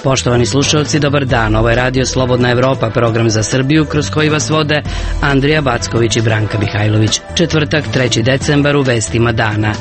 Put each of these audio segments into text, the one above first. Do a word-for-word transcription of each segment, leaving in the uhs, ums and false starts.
Poštovani slušalci, dobar dan. Ovo je Radio Slobodna Evropa, program za Srbiju kroz koji vas vode Andrija Backović i Branka Mihajlović. Četvrtak, treći decembar, u vestima dana.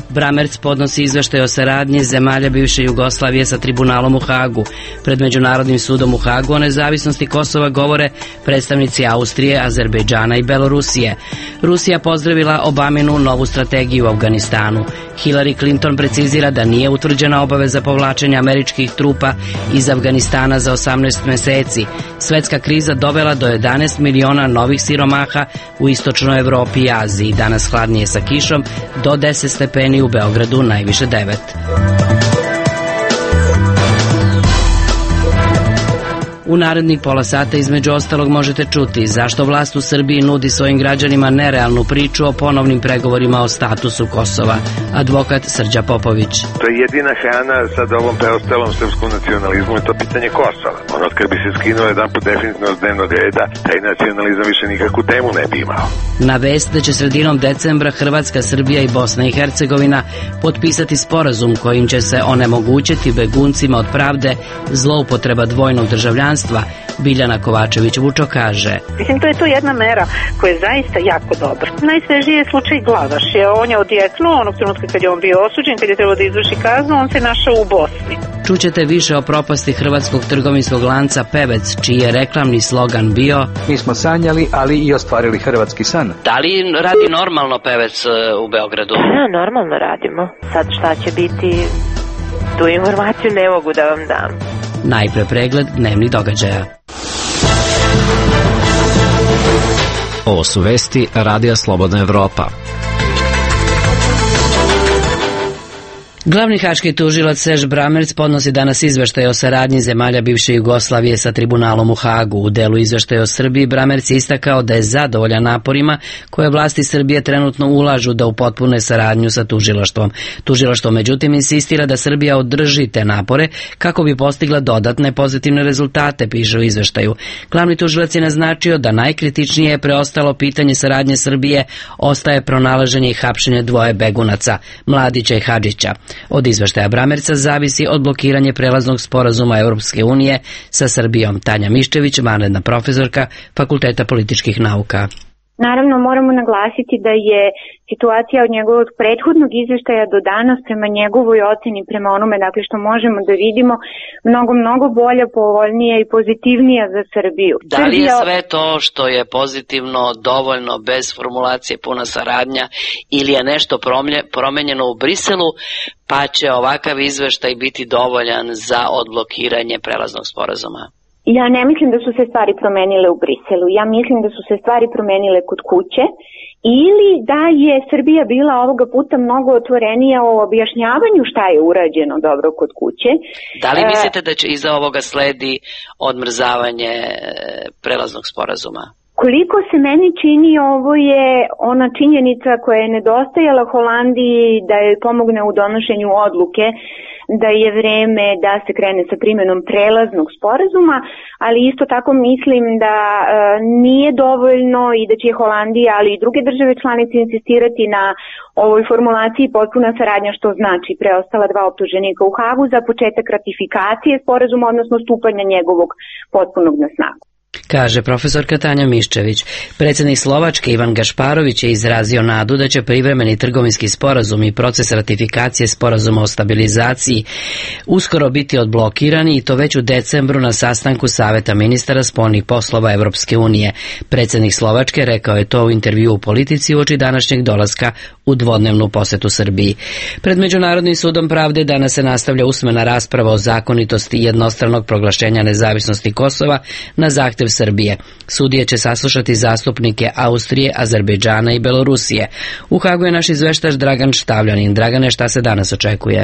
Bramerc podnosi izveštaj o saradnji zemalja bivše Jugoslavije sa tribunalom u Hagu. Pred Međunarodnim sudom u Hagu o nezavisnosti Kosova govore predstavnici Austrije, Azerbejdžana i Belorusije. Rusija pozdravila Obaminu novu strategiju u Afganistanu. Hillary Clinton precizira da nije utvrđena obaveza povlačenja američkih trupa iz Afganistana za osamnaest meseci. Svetska kriza dovela do jedanaest miliona novih siromaha u istočnoj Evropi i Aziji. Danas hladnije sa kišom do deset stepeni, u Beogradu najviše devet. U narednih pola sata između ostalog možete čuti zašto vlast u Srbiji nudi svojim građanima nerealnu priču o ponovnim pregovorima o statusu Kosova. Advokat Srđa Popović. To je jedina hrana sad ovom preostalom srpskom nacionalizmu i to pitanje Kosova. Ono kad bi se skinuo jedan put definitivno s dnevnog reda, taj nacionalizam više nikakvu temu ne bi imao. Na vest da će sredinom decembra Hrvatska, Srbija i Bosna i Hercegovina potpisati sporazum kojim će se onemogućiti beguncima od pravde zloupotreba dvojnog državljanstva, Biljana Kovačević-Vučo kaže. Mislim, to je to jedna mera koja je zaista jako dobra. Najsvežiji je slučaj Glavaš. On je odjeknuo onog trenutka kad je on bio osuđen, kad je trebao da izvrši kaznu, on se našao u Bosni. Čućete više o propasti hrvatskog trgovinskog lanca Pevec, čiji je reklamni slogan bio: mi smo sanjali, ali i ostvarili hrvatski san. Da li radi normalno Pevec u Beogradu? Da, normalno radimo. Sad šta će biti, tu informaciju ne mogu da vam dam. Najpre pregled dnevnih događaja. Ovo su vesti Radija Slobodna Evropa. Glavni haški tužilac Serž Bramerc podnosi danas izveštaj o saradnji zemalja bivše Jugoslavije sa tribunalom u Hagu. U delu izveštaja o Srbiji Bramerc je istakao da je zadovoljan naporima koje vlasti Srbije trenutno ulažu da upotpune saradnju sa tužilaštvom. Tužilaštvo međutim insistira da Srbija održi te napore kako bi postigla dodatne pozitivne rezultate, piše u izveštaju. Glavni tužilac je naznačio da najkritičnije je preostalo pitanje saradnje Srbije ostaje pronalaženje i hapšenje dvoje begunaca, Mladića i Hadžića. Od izveštaja Bramerca zavisi odblokiranje prelaznog sporazuma Europske unije sa Srbijom. Tanja Miščević, vanredna profesorka Fakulteta političkih nauka. Naravno, moramo naglasiti da je situacija od njegovog prethodnog izveštaja do danas prema njegovoj oceni, prema onome dakle što možemo da vidimo, mnogo, mnogo bolja, povoljnija i pozitivnija za Srbiju. Da li je sve to što je pozitivno dovoljno bez formulacije puna saradnja ili je nešto promenjeno u Briselu, pa će ovakav izveštaj biti dovoljan za odblokiranje prelaznog sporazuma? Ja ne mislim da su se stvari promenile u Briselu. Ja mislim da su se stvari promenile kod kuće ili da je Srbija bila ovoga puta mnogo otvorenija o objašnjavanju šta je urađeno dobro kod kuće. Da li mislite da će iza ovoga sledi odmrzavanje prelaznog sporazuma? Koliko se meni čini, ovo je ona činjenica koja je nedostajala Holandiji da je pomogne u donošenju odluke da je vreme da se krene sa primjenom prelaznog sporazuma, ali isto tako mislim da e, nije dovoljno i da će Holandija, ali i druge države članice insistirati na ovoj formulaciji potpuna saradnja, što znači preostala dva optuženika u Hagu za početak ratifikacije sporazuma, odnosno stupanja njegovog potpunog na snagu. Kaže profesorka Tanja Miščević. Predsjednik Slovačke Ivan Gašparović je izrazio nadu da će privremeni trgovinski sporazum i proces ratifikacije sporazuma o stabilizaciji uskoro biti odblokirani i to već u decembru na sastanku Saveta ministara spoljnih poslova Evropske unije. Predsjednik Slovačke rekao je to u intervju u Politici uoči današnjeg dolaska u dvodnevnu posetu Srbiji. Pred Međunarodnim sudom pravde danas se nastavlja usmena rasprava o zakonitosti jednostranog proglašenja nezavisnosti Kosova na zahtjev Srbije. Sudije će saslušati zastupnike Austrije, Azerbejdžana i Belorusije. U Hagu je naš izveštač Dragan Štavljanin. Dragane, šta se danas očekuje?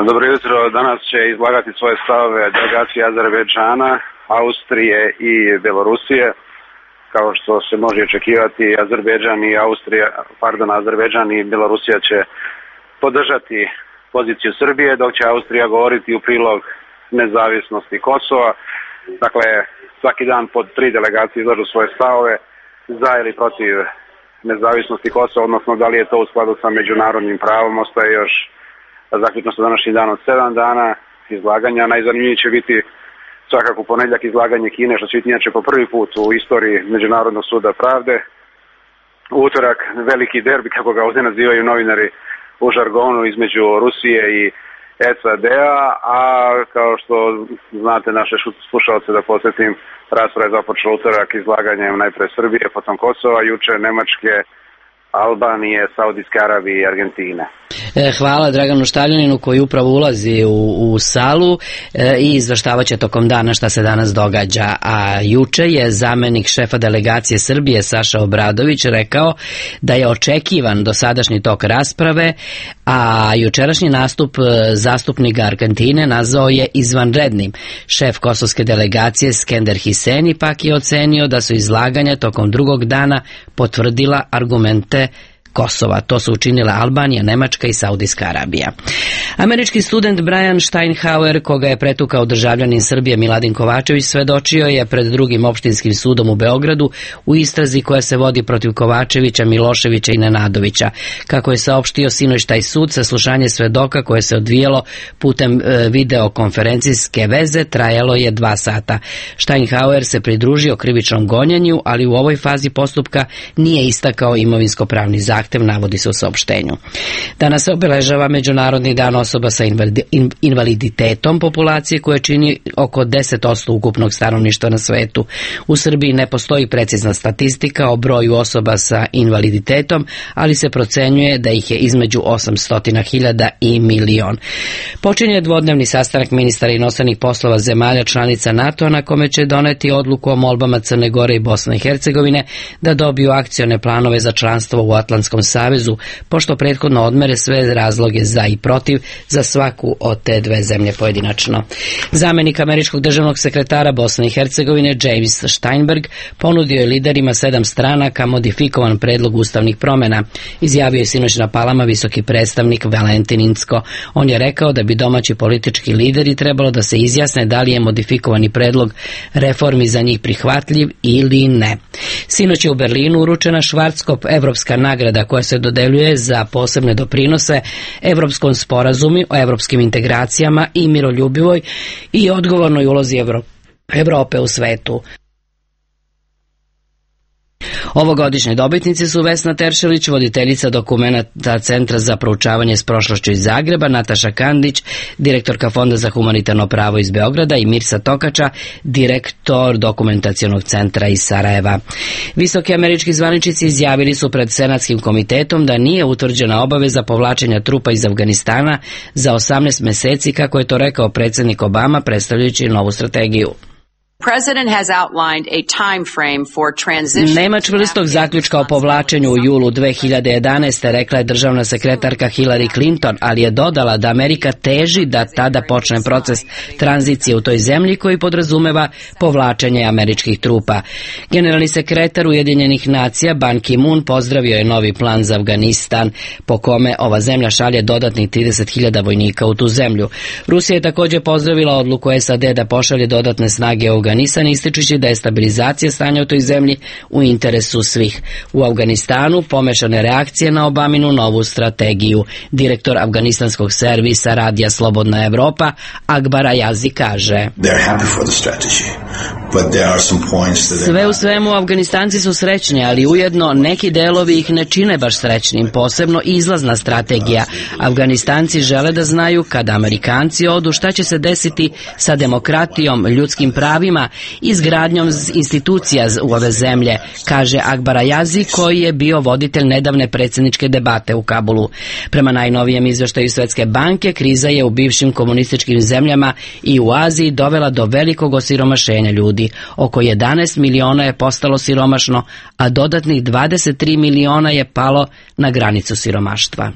Dobro jutro. Danas će izlagati svoje stavove delegacije Azerbejdžana, Austrije i Belorusije. Kao što se može očekivati, Azerbejdžan i Austrija, pardon, Azerbejdžan i Belorusija će podržati poziciju Srbije, dok će Austrija govoriti u prilog nezavisnosti Kosova. Dakle, svaki dan pod tri delegacije izlažu svoje stavove za ili protiv nezavisnosti Kosova, odnosno da li je to u skladu sa međunarodnim pravom, ostaje još zaključno sa današnjim danom sedam dana izlaganja. Najzanimljiviji će biti svakako u ponedjeljak izlaganje Kine, što će biti inače po prvi put u istoriji Međunarodnog suda pravde. U utorak veliki derbi, kako ga ovdje nazivaju novinari u žargonu, između Rusije i S A D-a, a kao što znate naše slušalce, da podsjetim, rasprava je započela utorak izlaganjem najpre Srbije, potom Kosova, juče Nemačke, Albanije, Saudijske Arabije i Argentine. Hvala Draganu Štavljaninu koji upravo ulazi u, u salu e, i izveštavat će tokom dana šta se danas događa. A juče je zamenik šefa delegacije Srbije Saša Obradović rekao da je očekivan dosadašnji tok rasprave, a jučerašnji nastup zastupnika Argentine nazvao je izvanrednim. Šef kosovske delegacije Skender Hiseni pak je ocenio da su izlaganja tokom drugog dana potvrdila argumente Kosova. To su učinile Albanija, Nemačka i Saudijska Arabija. Američki student Brian Steinhauer, koga je pretukao državljanin Srbije Miladin Kovačević, svedočio je pred drugim opštinskim sudom u Beogradu u istrazi koja se vodi protiv Kovačevića, Miloševića i Nenadovića. Kako je saopštio sinoć taj sud, saslušanje svedoka koje se odvijalo putem e, videokonferencijske veze trajalo je dva sata. Steinhauer se pridružio krivičnom gonjenju, ali u ovoj fazi postupka nije istakao imovinsko-pravni zahtev, navodi se u saopštenju. Danas se obeležava Međunarodni dan osoba sa invaliditetom populacije koja čini oko deset posto ukupnog stanovništva na svetu. U Srbiji ne postoji precizna statistika o broju osoba sa invaliditetom, ali se procenjuje da ih je između osamsto hiljada i milion. Počinje dvodnevni sastanak ministara inostranih poslova zemalja članica NATO na kome će doneti odluku o molbama Crne Gore i Bosne i Hercegovine da dobiju akcione planove za članstvo u Atlantskom savezu, pošto prethodno odmere sve razloge za i protiv za svaku od te dve zemlje pojedinačno. Zamenik američkog državnog sekretara Bosne i Hercegovine James Steinberg ponudio je liderima sedam stranaka modifikovan predlog ustavnih promjena. Izjavio je sinoć na Palama visoki predstavnik Valentin Incko. On je rekao da bi domaći politički lideri trebalo da se izjasne da li je modifikovani predlog reformi za njih prihvatljiv ili ne. Sinoć je u Berlinu uručena Schwarzkopf evropska nagrada koja se dodeljuje za posebne doprinose Evropskom sporazumu o evropskim integracijama i miroljubivoj i odgovornoj ulozi Evro- Evrope u svetu. Ovogodišnje dobitnici su Vesna Teršelić, voditeljica dokumenta Centra za proučavanje s prošlošću iz Zagreba, Nataša Kandić, direktorka Fonda za humanitarno pravo iz Beograda i Mirsa Tokača, direktor dokumentacionog centra iz Sarajeva. Visoki američki zvaničnici izjavili su pred Senatskim komitetom da nije utvrđena obaveza povlačenja trupa iz Afganistana za osamnaest meseci, kako je to rekao predsjednik Obama predstavljajući novu strategiju. Nema čvrstog zaključka o povlačenju u julu dve hiljade jedanaeste. rekla je državna sekretarka Hillary Clinton, ali je dodala da Amerika teži da tada počne proces tranzicije u toj zemlji koji podrazumeva povlačenje američkih trupa. Generalni sekretar Ujedinjenih nacija Ban Ki-moon pozdravio je novi plan za Afganistan, po kome ova zemlja šalje dodatnih trideset hiljada vojnika u tu zemlju. Rusija je također pozdravila odluku S A D da pošalje dodatne snage u Afganistan, ističući da je stabilizacija stanja u toj zemlji u interesu svih. U Afganistanu pomešane reakcije na Obaminu novu strategiju. Direktor afganistanskog servisa Radija Slobodna Evropa Akbar Ayazi kaže: Sve u svemu Afganistanci su srećni, ali ujedno neki delovi ih ne čine baš srećnim, posebno izlazna strategija. Afganistanci žele da znaju kada Amerikanci odu šta će se desiti sa demokratijom, ljudskim pravima, izgradnjom institucija u ove zemlje, kaže Akbar Ayazi, koji je bio voditelj nedavne predsjedničke debate u Kabulu. Prema najnovijem izveštaju Svetske banke, kriza je u bivšim komunističkim zemljama i u Aziji dovela do velikog osiromašenja ljudi. Oko jedanaest miliona je postalo siromašno, a dodatnih dvadeset tri miliona je palo na granicu siromaštva.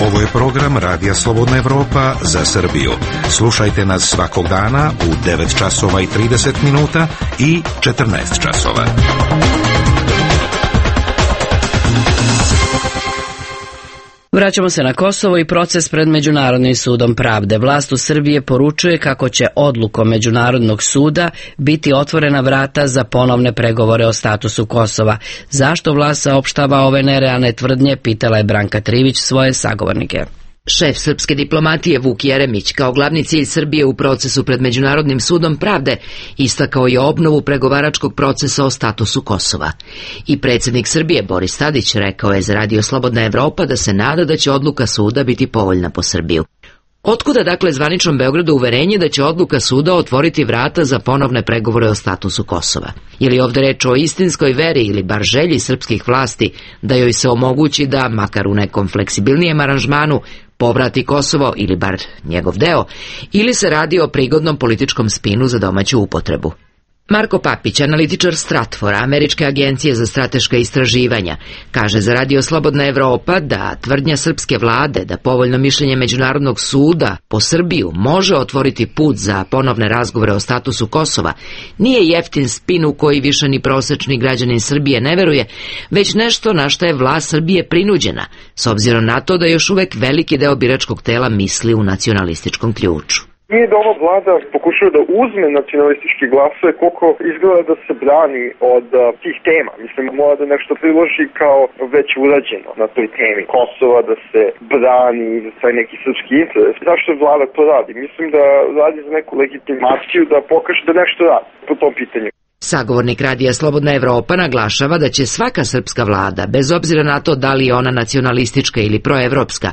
Ovo je program Radija Slobodna Evropa za Srbiju. Slušajte nas svakog dana u devet časova i trideset minuta i četrnaest časova. Vraćamo se na Kosovo i proces pred Međunarodnim sudom pravde. Vlast u Srbije poručuje kako će odlukom Međunarodnog suda biti otvorena vrata za ponovne pregovore o statusu Kosova. Zašto vlast saopštava ove nerealne tvrdnje, pitala je Branka Trivić svoje sagovornike. Šef srpske diplomatije Vuk Jeremić kao glavni cilj Srbije u procesu pred Međunarodnim sudom pravde istakao je obnovu pregovaračkog procesa o statusu Kosova. I predsjednik Srbije Boris Tadić rekao je za Radio Slobodna Evropa da se nada da će odluka suda biti povoljna po Srbiju. Otkuda dakle zvaničnom Beogradu uverenje da će odluka suda otvoriti vrata za ponovne pregovore o statusu Kosova? Je li ovdje reč o istinskoj veri ili bar želji srpskih vlasti da joj se omogući da, makar u nekom fleksibilnijem aranžmanu, povrati Kosovo ili bar njegov deo, ili se radi o prigodnom političkom spinu za domaću upotrebu? Marko Papić, analitičar Stratfora, Američke agencije za strateška istraživanja, kaže za Radio Slobodna Evropa da tvrdnja srpske vlade da povoljno mišljenje Međunarodnog suda po Srbiju može otvoriti put za ponovne razgovore o statusu Kosova nije jeftin spin u koji više ni prosečni građanin Srbije ne veruje, već nešto na što je vlast Srbije prinuđena, s obzirom na to da još uvek veliki deo biračkog tela misli u nacionalističkom ključu. Nije da ova vlada pokušava da uzme nacionalistički glasove koliko izgleda da se brani od uh, tih tema. Mislim, mora da nešto priloži kao već urađeno na toj temi Kosova, da se brani za taj neki srpski interes. Zašto vlada to radi? Mislim da radi za neku legitimaciju da pokaže da nešto radi po tom pitanju. Sagovornik Radija Slobodna Evropa naglašava da će svaka srpska vlada, bez obzira na to da li je ona nacionalistička ili proevropska,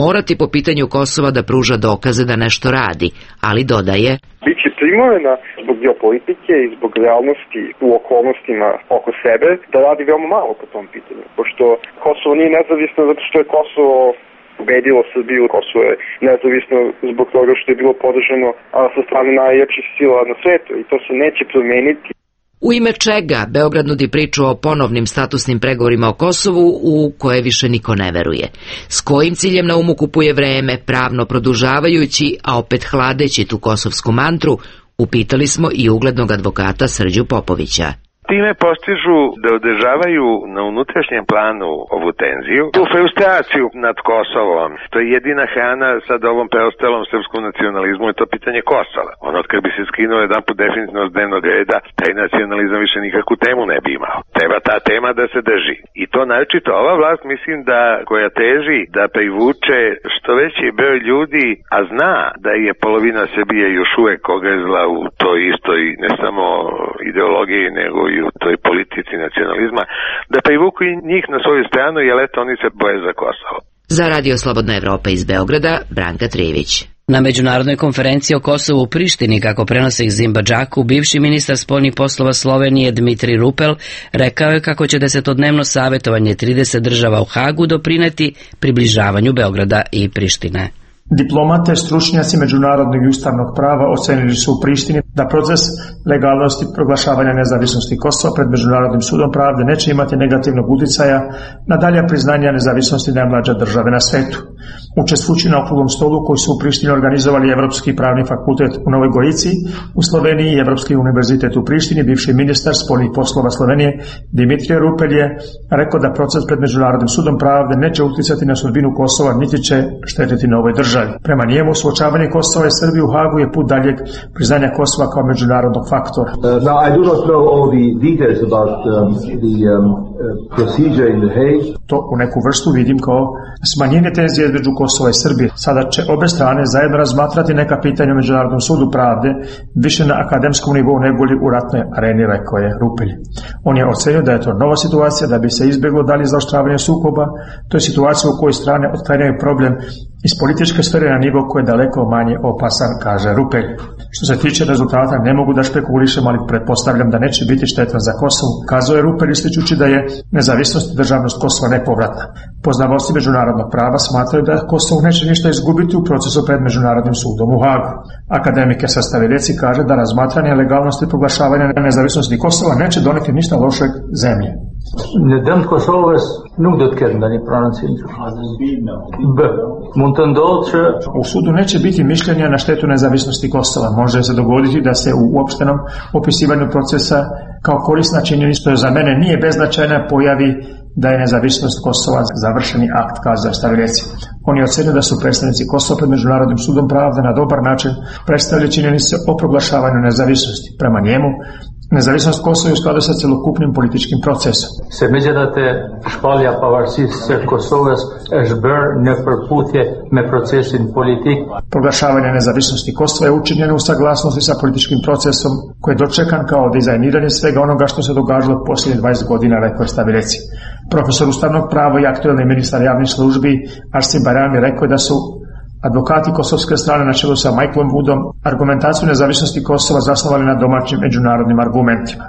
morati po pitanju Kosova da pruža dokaze da nešto radi, ali dodaje: Biće primorena zbog geopolitike i zbog realnosti u okolnostima oko sebe da radi veoma malo po tom pitanju, pošto Kosovo nije nezavisno zato što je Kosovo ubedilo Srbiju, Kosovo je nezavisno zbog toga što je bilo podržano sa strane najjačih sila na svetu i to se neće promeniti. U ime čega Beograd nudi priču o ponovnim statusnim pregovorima o Kosovu u koje više niko ne veruje? S kojim ciljem na umu kupuje vreme, pravno produžavajući, a opet hladeći tu kosovsku mantru, upitali smo i uglednog advokata Srđu Popovića. Time postižu da održavaju na unutrašnjem planu ovu tenziju, tu frustraciju nad Kosovom. To je jedina hrana sad ovom preostalom srpskom nacionalizmu i to pitanje Kosova. Ono kad bi se skinuo jedan put definitivno s dnevnog reda, taj nacionalizam više nikakvu temu ne bi imao. Treba ta tema da se drži. I to naročito ova vlast mislim da koja teži da privuče što veći broj ljudi, a zna da je polovina Srbije još uvek ogrezla u toj istoj ne samo ideologiji nego i u toj politici nacionalizma, da privuku i njih na svoju stranu, jer eto oni se boje za Kosovo. Za Radio Slobodna Evropa iz Beograda, Branka Trivić. Na međunarodnoj konferenciji o Kosovu u Prištini, kako prenosi Zimba Džaku, bivši ministar spoljnih poslova Slovenije Dmitri Rupel rekao je kako će desetodnevno savjetovanje trideset država u Hagu doprineti približavanju Beograda i Prištine. Diplomate, stručnjaci međunarodnog i ustavnog prava ocenili su u Prištini da proces legalnosti proglašavanja nezavisnosti Kosova pred Međunarodnim sudom pravde neće imati negativnog utjecaja na dalja priznanja nezavisnosti najmlađe države na svetu. Učestvujući na okruglom stolu koji su u Prištini organizovali Evropski pravni fakultet u Novoj Gorici, u Sloveniji i Evropski univerzitet u Prištini, bivši ministar spoljnih poslova Slovenije Dimitrije Rupel je rekao da proces pred Međunarodnim sudom pravde neće utjecati na sudbinu Kosova niti će štetiti novoj državi. Prema njemu, suočavanje Kosova i Srbije u Hagu je put daljeg priznanja Kosova kao međunarodnog faktora. Uh, now, I do not know all the details about um, the um, uh, procedure in The Hague. To u neku vrstu vidim kao smanjenje tenzije između Kosova i Srbije. Sada će obe strane zajedno razmatrati neka pitanja u Međunarodnom sudu pravde više na akademskom nivou nego li u ratnoj areni, rekao je Rupel. On je ocenio da je to nova situacija da bi se izbjeglo dalje zaoštravanje sukoba. To je situacija u kojoj strane otklanjaju problem iz političke sfere na nivo koji je daleko manje opasan, kaže Rupel. Što se tiče rezultata, ne mogu da špekulišem, ali pretpostavljam da neće biti štetan za Kosovo, kazao je Rupel ističući da je nezavisnost i državnost Kosova nepovratna. Poznavaoci međunarodnog prava smatraju da Kosovo neće ništa izgubiti u procesu pred Međunarodnim sudom u Hagu. Akademike Sastavileci kaže da razmatranje legalnosti proglašavanja nezavisnosti Kosova neće doneti ništa lošeg zemlje. Nedëmt Kosovës nuk do të ketë ndonjë prononcim. B. Mund të ndodhë që u sudu neće biti mišljenja na štetu nezavisnosti Kosova. Može se dogoditi da se u uopštenom opisivanju procesa kao korisna činjenica, što za mene nije beznačajna, pojavi da je nezavisnost Kosova završeni akt, kazao Stavileci. On je ocenio da su predstavnici Kosova pred Međunarodnim sudom pravde na dobar način predstavili činjenice o proglašavanju nezavisnosti. Prema njemu, nezavisnost Kosova je u skladu sa celokupnim političkim procesom. Se megjithatë, shpallja pavarësisë së Kosovës është bërë në përputhje me procesin politik. Proglašavanje nezavisnosti Kosova je učinjeno u saglasnosti sa političkim procesom koji je dočekan kao dizajniranje svega onoga što se događalo posljednjih dvadeset godina, rekao je Stavileci. Profesor ustavnog prava i aktuelni ministar javnih službi Arsim Bajrami rekao je da su advokati kosovske strane na čelu sa Michaelom Woodom argumentaciju nezavisnosti Kosova zasnovali na domaćim međunarodnim argumentima.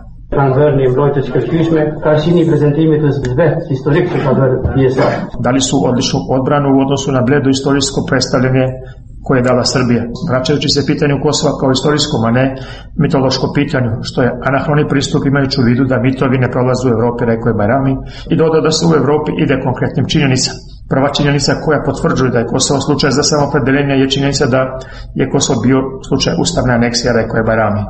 Dali su odličnu odbranu u odnosu na bledo istorijsko predstavljanje koje je dala Srbija, vraćajući se pitanju Kosova kao istorijskom, a ne mitološko pitanju, što je anahroni pristup imajući u vidu da mitovi ne prolaze u Evropi, rekao je Bajrami, i dodao da se u Evropi ide konkretnim činjenicama. Prva činjenica koja potvrđuje da je Kosovo slučaj za samopredeljenje je činjenica da je Kosovo bio slučaj ustavne aneksije, rekao je Bajrami.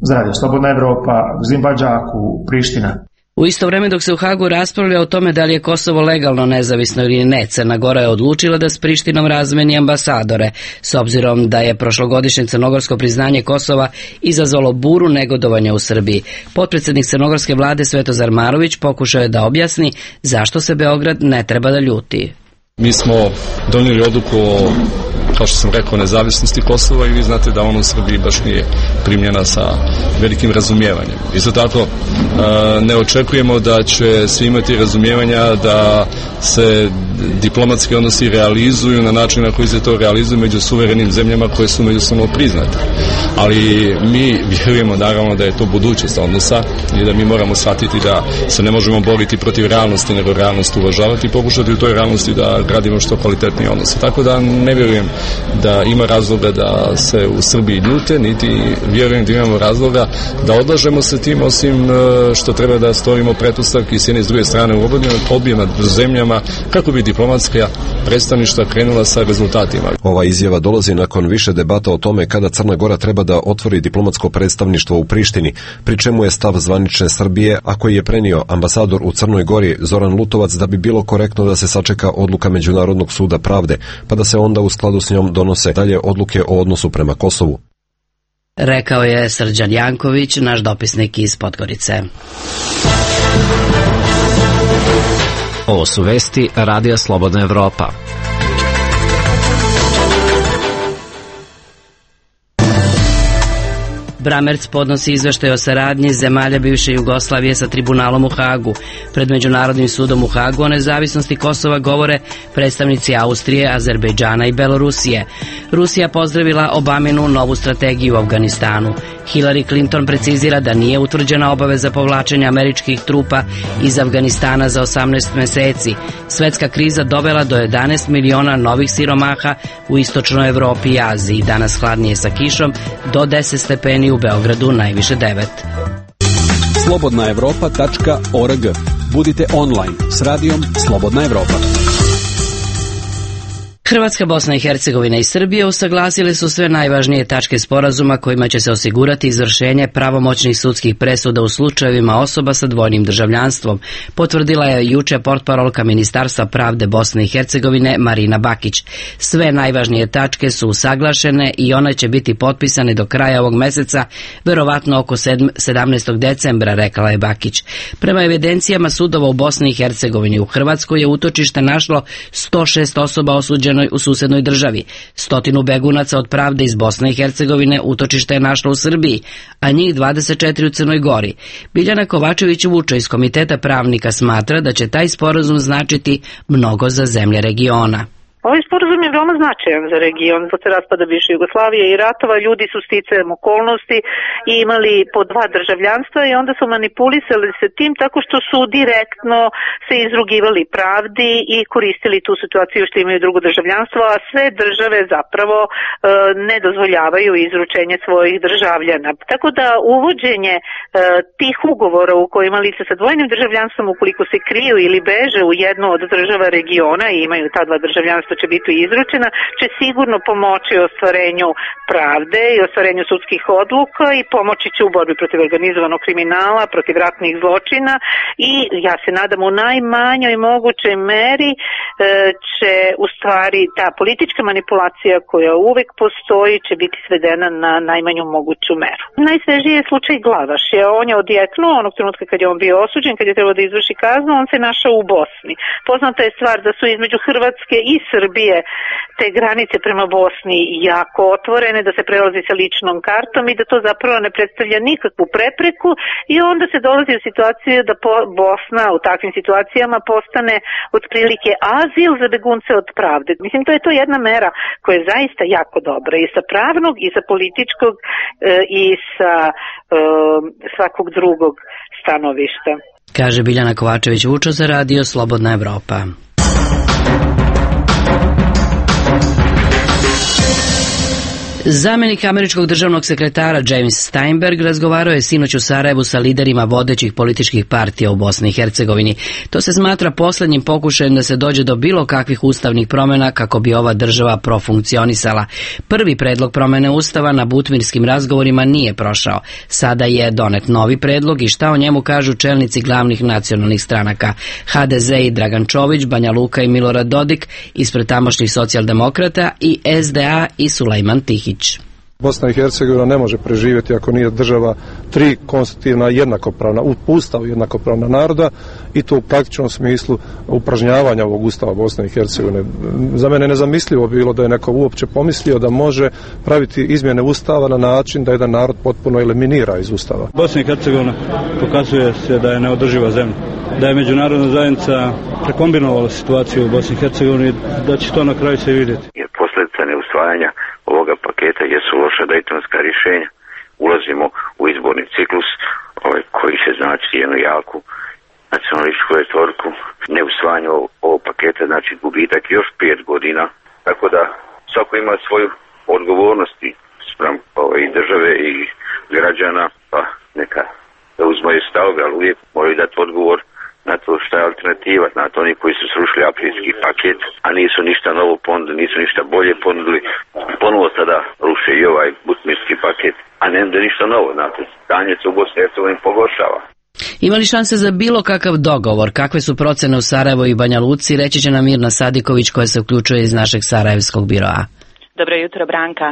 Za Radio Slobodna Evropa, Zimbabđaku, Priština. U isto vreme dok se u Hagu raspravlja o tome da li je Kosovo legalno nezavisno ili ne, Crna Gora je odlučila da s Prištinom razmeni ambasadore, s obzirom da je prošlogodišnje crnogorsko priznanje Kosova izazvalo buru negodovanja u Srbiji. Potpredsednik crnogorske vlade Svetozar Marović pokušao je da objasni zašto se Beograd ne treba da ljuti. Mi smo donijeli odluku o, kao što sam rekao, nezavisnosti Kosova i vi znate da ono u Srbiji baš nije primljena sa velikim razumijevanjem. Isto tako ne očekujemo da će svi imati razumijevanja da se diplomatski odnosi realizuju na način na koji se to realizuju među suverenim zemljama koje su međusobno priznate. Ali mi vjerujemo naravno da je to budućnost odnosa i da mi moramo shvatiti da se ne možemo boriti protiv realnosti, nego realnost uvažavati i pokušati u toj realnosti da gradimo što kvalitetnije odnose. Tako da ne vjerujem da ima razloga da se u Srbiji ljute, niti vjerujem da imamo razloga da odlažemo se tim, osim što treba da stvorimo pretpostavke s jedne i s druge strane u objema zemljama kako bi diplomatska predstavništva krenula sa rezultatima. Ova izjava dolazi nakon više debata o tome kada Crna Gora treba da otvori diplomatsko predstavništvo u Prištini, pri čemu je stav zvanične Srbije, a koji je prenio ambasador u Crnoj Gori Zoran Lutovac, da bi bilo korektno da se sačeka odluka Međunarodnog suda pravde, pa da se onda u skladu s njom donose dalje odluke o odnosu prema Kosovu. Rekao je Srđan Janković, naš dopisnik iz Podgorice. Ovo su vesti Radija Slobodna Evropa. Bramerc podnosi izveštaj o saradnji zemalja bivše Jugoslavije sa tribunalom u Hagu. Pred Međunarodnim sudom u Hagu o nezavisnosti Kosova govore predstavnici Austrije, Azerbejdžana i Belorusije. Rusija pozdravila Obaminu novu strategiju u Afganistanu. Hillary Clinton precizira da nije utvrđena obaveza povlačenja američkih trupa iz Afganistana za osamnaest meseci. Svetska kriza dovela do jedanaest miliona novih siromaha u istočnoj Evropi i Aziji. Danas hladnije sa kišom, do deset stepeni u Beogradu, najviše devet. slobodna evropa tačka org. Budite online s radijom Slobodna Evropa. Hrvatska, Bosna i Hercegovina i Srbija usaglasile su sve najvažnije tačke sporazuma kojima će se osigurati izvršenje pravomoćnih sudskih presuda u slučajevima osoba sa dvojnim državljanstvom, potvrdila je juče portparolka Ministarstva pravde Bosne i Hercegovine Marina Bakić. Sve najvažnije tačke su usaglašene i one će biti potpisane do kraja ovog meseca, verovatno oko sedamnaestog decembra, rekla je Bakić. Prema evidencijama sudova u Bosni i Hercegovini, u Hrvatskoj je utočište našlo sto šest osoba osuđeno u susednoj državi. Stotinu begunaca od pravde iz Bosne i Hercegovine utočište je našlo u Srbiji, a njih dvadeset četiri u Crnoj Gori. Biljana Kovačević-Vučo iz Komiteta pravnika smatra da će taj sporazum značiti mnogo za zemlje regiona. Ovaj sporazum je veoma značajan za region. Posle raspada bivše Jugoslavije i ratova ljudi su sticajem okolnosti i imali po dva državljanstva i onda su manipulisali se tim tako što su direktno se izrugivali pravdi i koristili tu situaciju što imaju drugo državljanstvo, a sve države zapravo e, ne dozvoljavaju izručenje svojih državljana. Tako da uvođenje e, tih ugovora u kojima lice sa dvojnim državljanstvom, ukoliko se kriju ili beže u jednu od država regiona i imaju ta dva državljanstva će biti izručena, će sigurno pomoći ostvarenju pravde i ostvarenju sudskih odluka i pomoći će u borbi protiv organizovanog kriminala, protiv ratnih zločina i ja se nadam u najmanjoj mogućoj meri e, će u stvari ta politička manipulacija koja uvek postoji će biti svedena na najmanju moguću meru. Najsvežiji je slučaj Glavaš. On je odjeknuo onog trenutka kad je on bio osuđen, kad je trebao da izvrši kaznu, on se našao u Bosni. Poznata je stvar da su između Hrvatske i Srbije te granice prema Bosni jako otvorene, da se prelazi sa ličnom kartom i da to zapravo ne predstavlja nikakvu prepreku i onda se dolazi u situaciju da Bosna u takvim situacijama postane otprilike azil za begunce od pravde. Mislim, to je to jedna mera koja je zaista jako dobra i sa pravnog i sa političkog e, i sa e, svakog drugog stanovišta. Kaže Biljana Kovačević-Vučo za Radio Slobodna Evropa. Zamenik američkog državnog sekretara James Steinberg razgovarao je sinoć u Sarajevu sa liderima vodećih političkih partija u Bosni i Hercegovini. To se smatra poslednjim pokušajem da se dođe do bilo kakvih ustavnih promjena kako bi ova država profunkcionisala. Prvi predlog promjene ustava na butmirskim razgovorima nije prošao. Sada je donet novi predlog i šta o njemu kažu čelnici glavnih nacionalnih stranaka H D Z i Dragan Čović, Banja Luka i Milorad Dodik ispred tamošnjih socijaldemokrata i S D A i Sulejman Tihić. Bosna i Hercegovina ne može preživjeti ako nije država tri konstitutivna jednakopravna, u ustavu jednakopravna naroda i to u praktičnom smislu upražnjavanja ovog ustava Bosne i Hercegovine. Za mene je nezamislivo bilo da je neko uopće pomislio da može praviti izmjene ustava na način da jedan narod potpuno eliminira iz ustava. Bosna i Hercegovina pokazuje se da je neodrživa zemlja, da je međunarodna zajednica prekombinovala situaciju u Bosni i Hercegovini, da će to na kraju se vidjeti. Jer posljedica neusvajanja ovoga paketa jesu loša dejtonska rješenja. Ulazimo u izborni ciklus ovaj, koji će značiti jednu jaku nacionalističku retoriku. Neusvajanje ovog paketa znači gubitak još pet godina. Tako da svako ima svoju odgovornost spram ovaj, države i građana, pa neka da uzmaju stavove, ali uvijek moraju dati odgovor na to šta je alternativa, znate, oni koji su srušili aprilski paket, a nisu ništa novo ponudili, nisu ništa bolje ponudili, ponovo sada ruše i ovaj butmirski paket, a ne da ništa novo, znate, stanje se u Bosni i Hercegovini pogoršava. Ima li šanse za bilo kakav dogovor? Kakve su procene u Sarajevu i Banja Luci? Reći će nam Mirna Sadiković koja se uključuje iz našeg sarajevskog biroa. Dobro jutro, Branka.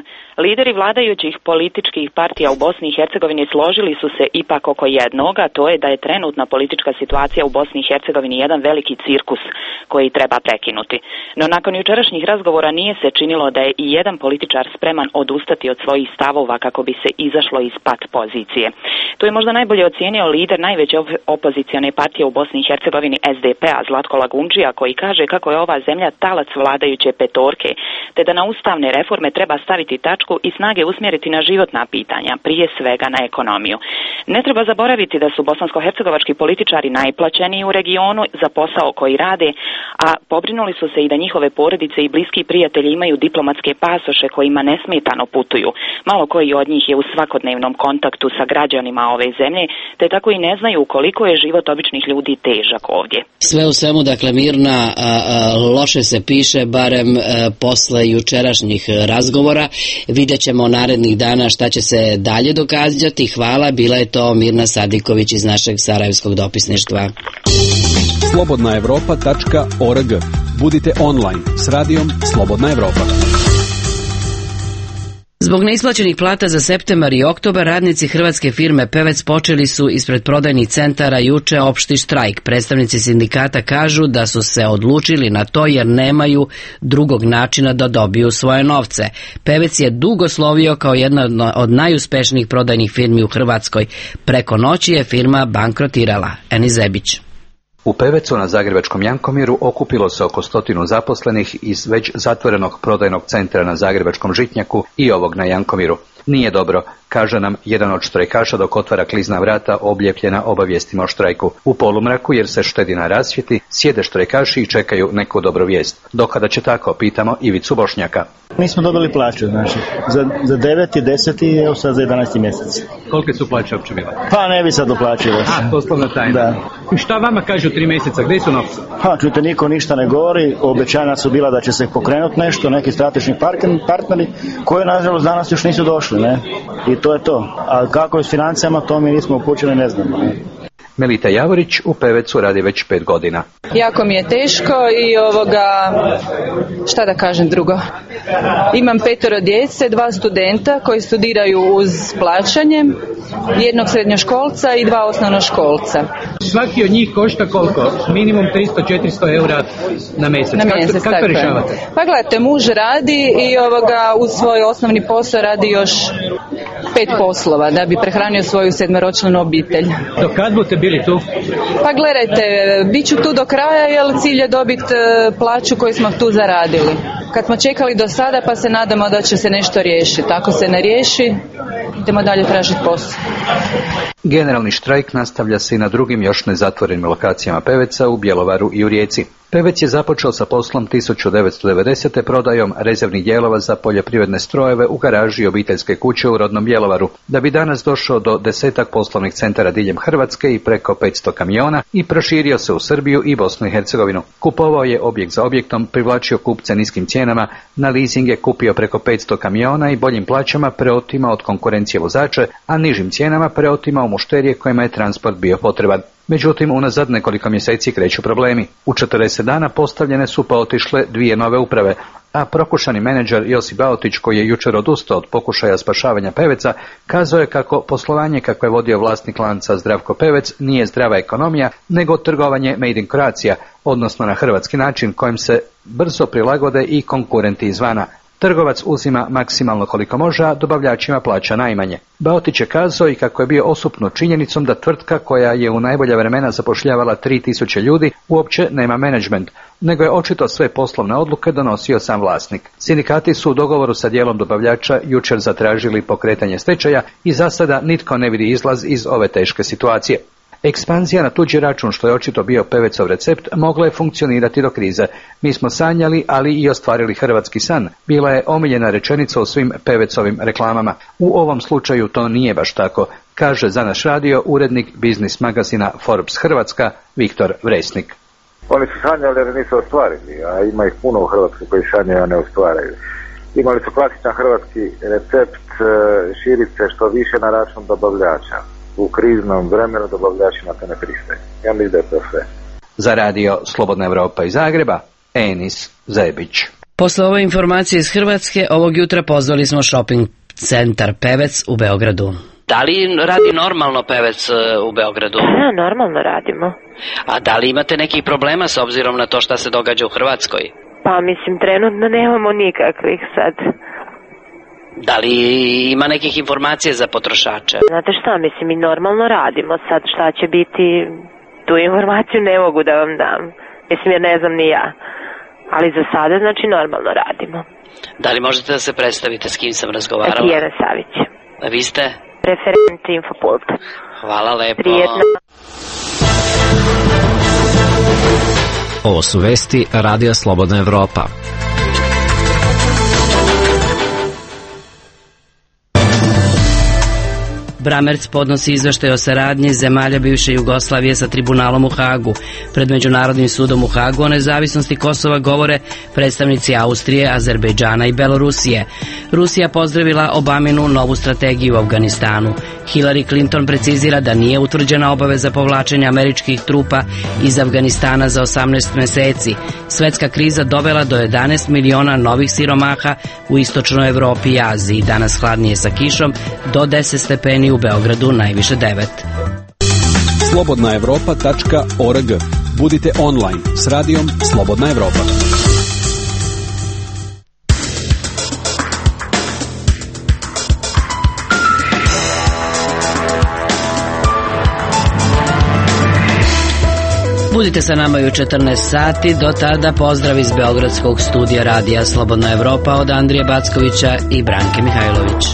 Lideri vladajućih političkih partija u Bosni i Hercegovini složili su se ipak oko jednoga, to je da je trenutna politička situacija u Bosni i Hercegovini jedan veliki cirkus koji treba prekinuti. No nakon jučerašnjih razgovora nije se činilo da je i jedan političar spreman odustati od svojih stavova kako bi se izašlo iz pat pozicije. To je možda najbolje ocijenio lider najveće opozicione partije u Bosni i Hercegovini S D P-a Zlatko Lagundžija, koji kaže kako je ova zemlja talac vladajuće petorke, te da na ustavne reforme treba staviti tačku i snage usmjeriti na životna pitanja, prije svega na ekonomiju. Ne treba zaboraviti da su bosansko-hercegovački političari najplaćeniji u regionu za posao koji rade, a pobrinuli su se i da njihove porodice i bliski prijatelji imaju diplomatske pasoše kojima nesmetano putuju. Malo koji od njih je u svakodnevnom kontaktu sa građanima ove zemlje, te tako i ne znaju koliko je život običnih ljudi težak ovdje. Sve u svemu, dakle, Mirna, a, a, loše se piše, barem a, posle jučerašnjih razgovora. Vidjet ćemo narednih dana šta će se dalje događati. Hvala, bila je to Mirna Sadiković iz našeg sarajevskog dopisništva. slobodna evropa tačka org. Budite online s radijom Slobodna Evropa. Zbog neisplaćenih plata za septembar i oktobar, radnici hrvatske firme Pevec počeli su ispred prodajnih centara juče opšti štrajk. Predstavnici sindikata kažu da su se odlučili na to jer nemaju drugog načina da dobiju svoje novce. Pevec je dugo slovio kao jedna od najuspešnijih prodajnih firmi u Hrvatskoj. Preko noći je firma bankrotirala. Eni Zebić. U Pevecu na zagrebačkom Jankomiru okupilo se oko stotinu zaposlenih iz već zatvorenog prodajnog centra na zagrebačkom Žitnjaku i ovog na Jankomiru. Nije dobro, kaže nam jedan od štrajkaša dok otvara klizna vrata oblijepljena obavijestima o štrajku. U polumraku, jer se štedi na rasvjeti, sjede štrajkaši i čekaju neku dobru vijest. Dokada će tako, pitamo Ivicu Bošnjaka. Mi smo dobili plaću, znači, za, za deveti, deseti i evo sad za jedanaesti mjesec. kolike su plaće uopće bile? Pa ne bi sad uplaćivo. A, poslovna tajna. Da. I šta vama kažu tri mjeseca, gdje su novci? Ha, čujte, niko ništa ne govori, obećanja su bila da će se pokrenuti nešto, neki strateški partneri koji nažalost danas još nisu došli, ne? I to je to. A kako je s financijama, to mi nismo upućeni, ne znamo, ne? Melita Javorić u Pevecu radi već pet godina. Jako mi je teško i ovoga, šta da kažem drugo. Imam petoro djece, dva studenta koji studiraju uz plaćanje, jednog srednjoškolca i dva osnovnoškolca. Svaki od njih košta koliko? Minimum tristo do četiristo eura na mjesec. Na mjesec, kako, kako to rješavate? Pa gledajte, muž radi i ovoga uz svoj osnovni posao radi još pet poslova da bi prehranio svoju sedmeročlanu obitelj. Do kad budete bili tu? Pa gledajte, bit ću tu do kraja jer cilj je dobiti plaću koju smo tu zaradili. Kad smo čekali do sada pa se nadamo da će se nešto riješiti. Ako se ne riješi, idemo dalje tražiti posao. Generalni štrajk nastavlja se i na drugim još nezatvorenim lokacijama Peveca u Bjelovaru i u Rijeci. Pevec je započeo sa poslom tisuću devetsto devedesete. prodajom rezervnih dijelova za poljoprivredne strojeve u garaži obiteljske kuće u rodnom Bjelovaru, da bi danas došao do desetak poslovnih centara diljem Hrvatske i preko petsto kamiona i proširio se u Srbiju i Bosnu i Hercegovinu. Kupovao je objekt za objektom, privlačio kupce niskim cijenama, na leasing je kupio preko petsto kamiona i boljim plaćama preotimao od konkurencije vozače, a nižim cijenama preotimao mušterije kojima je transport bio potreban. Međutim, unazad nekoliko mjeseci kreću problemi. U četrdeset dana postavljene su pa otišle dvije nove uprave, a prokušani menadžer Josip Baotić, koji je jučer odustao od pokušaja spašavanja Peveca, kazao je kako poslovanje kako je vodio vlasnik lanca Zdravko Pevec nije zdrava ekonomija, nego trgovanje made in Croatia, odnosno na hrvatski način kojim se brzo prilagode i konkurenti izvana. Trgovac uzima maksimalno koliko može, a dobavljačima plaća najmanje. Baotić je kazao i kako je bio osupnut činjenicom da tvrtka koja je u najbolja vremena zapošljavala tri tisuće ljudi uopće nema menadžment, nego je očito sve poslovne odluke donosio sam vlasnik. Sindikati su u dogovoru sa dijelom dobavljača jučer zatražili pokretanje stečaja i za sada nitko ne vidi izlaz iz ove teške situacije. Ekspanzija na tuđi račun, što je očito bio Pevecov recept, mogla je funkcionirati do krize. Mi smo sanjali, ali i ostvarili hrvatski san. Bila je omiljena rečenica u svim Pevecovim reklamama. U ovom slučaju to nije baš tako, kaže za naš radio urednik biznis magazina Forbes Hrvatska Viktor Vresnik. Oni su sanjali, ali nisu ostvarili, a ima ih puno u Hrvatskoj koji sanjaju, a ne ostvaraju. Imali su klasičan hrvatski recept, širiti se što više na račun dobavljača. U kriznom vremenu dobavljačima to ne pristaje. Ja mislim da je to sve. Za radio Slobodna Evropa iz Zagreba, Enis Zebić. Posle ove informacije iz Hrvatske, ovog jutra pozvali smo shopping centar Pevec u Beogradu. Da li radi normalno Pevec u Beogradu? Da, normalno radimo. A da li imate nekih problema s obzirom na to šta se događa u Hrvatskoj? Pa mislim, trenutno nemamo nikakvih sad. Da li ima nekih informacija za potrošače? Znate šta, mislim, mi normalno radimo. Sad šta će biti, tu informaciju ne mogu da vam dam. Mislim, jer ne znam ni ja. Ali za sada, znači, normalno radimo. Da li možete da se predstavite s kim sam razgovarala? Tijana Savić. A vi ste? Referent Infopulta. Hvala lepo. Prijetno. Ovo su vesti Radija Slobodna Evropa. Bramerc podnosi izveštaj o saradnji zemalja bivše Jugoslavije sa tribunalom u Hagu. Pred Međunarodnim sudom u Hagu o nezavisnosti Kosova govore predstavnici Austrije, Azerbejdžana i Belorusije. Rusija pozdravila Obaminu novu strategiju u Afganistanu. Hillary Clinton precizira da nije utvrđena obaveza povlačenja američkih trupa iz Afganistana za osamnaest meseci. Svetska kriza dovela do jedanaest miliona novih siromaha u istočnoj Evropi i Aziji. Danas hladnije sa kišom, do deset stepeni u Beogradu, najviše devet. slobodna evropa tačka org. Budite online s radijom Slobodna Evropa. Budite sa nama i u četrnaest sati, do tada pozdrav iz Beogradskog studija Radija Slobodna Evropa od Andrije Backovića i Branke Mihajlović.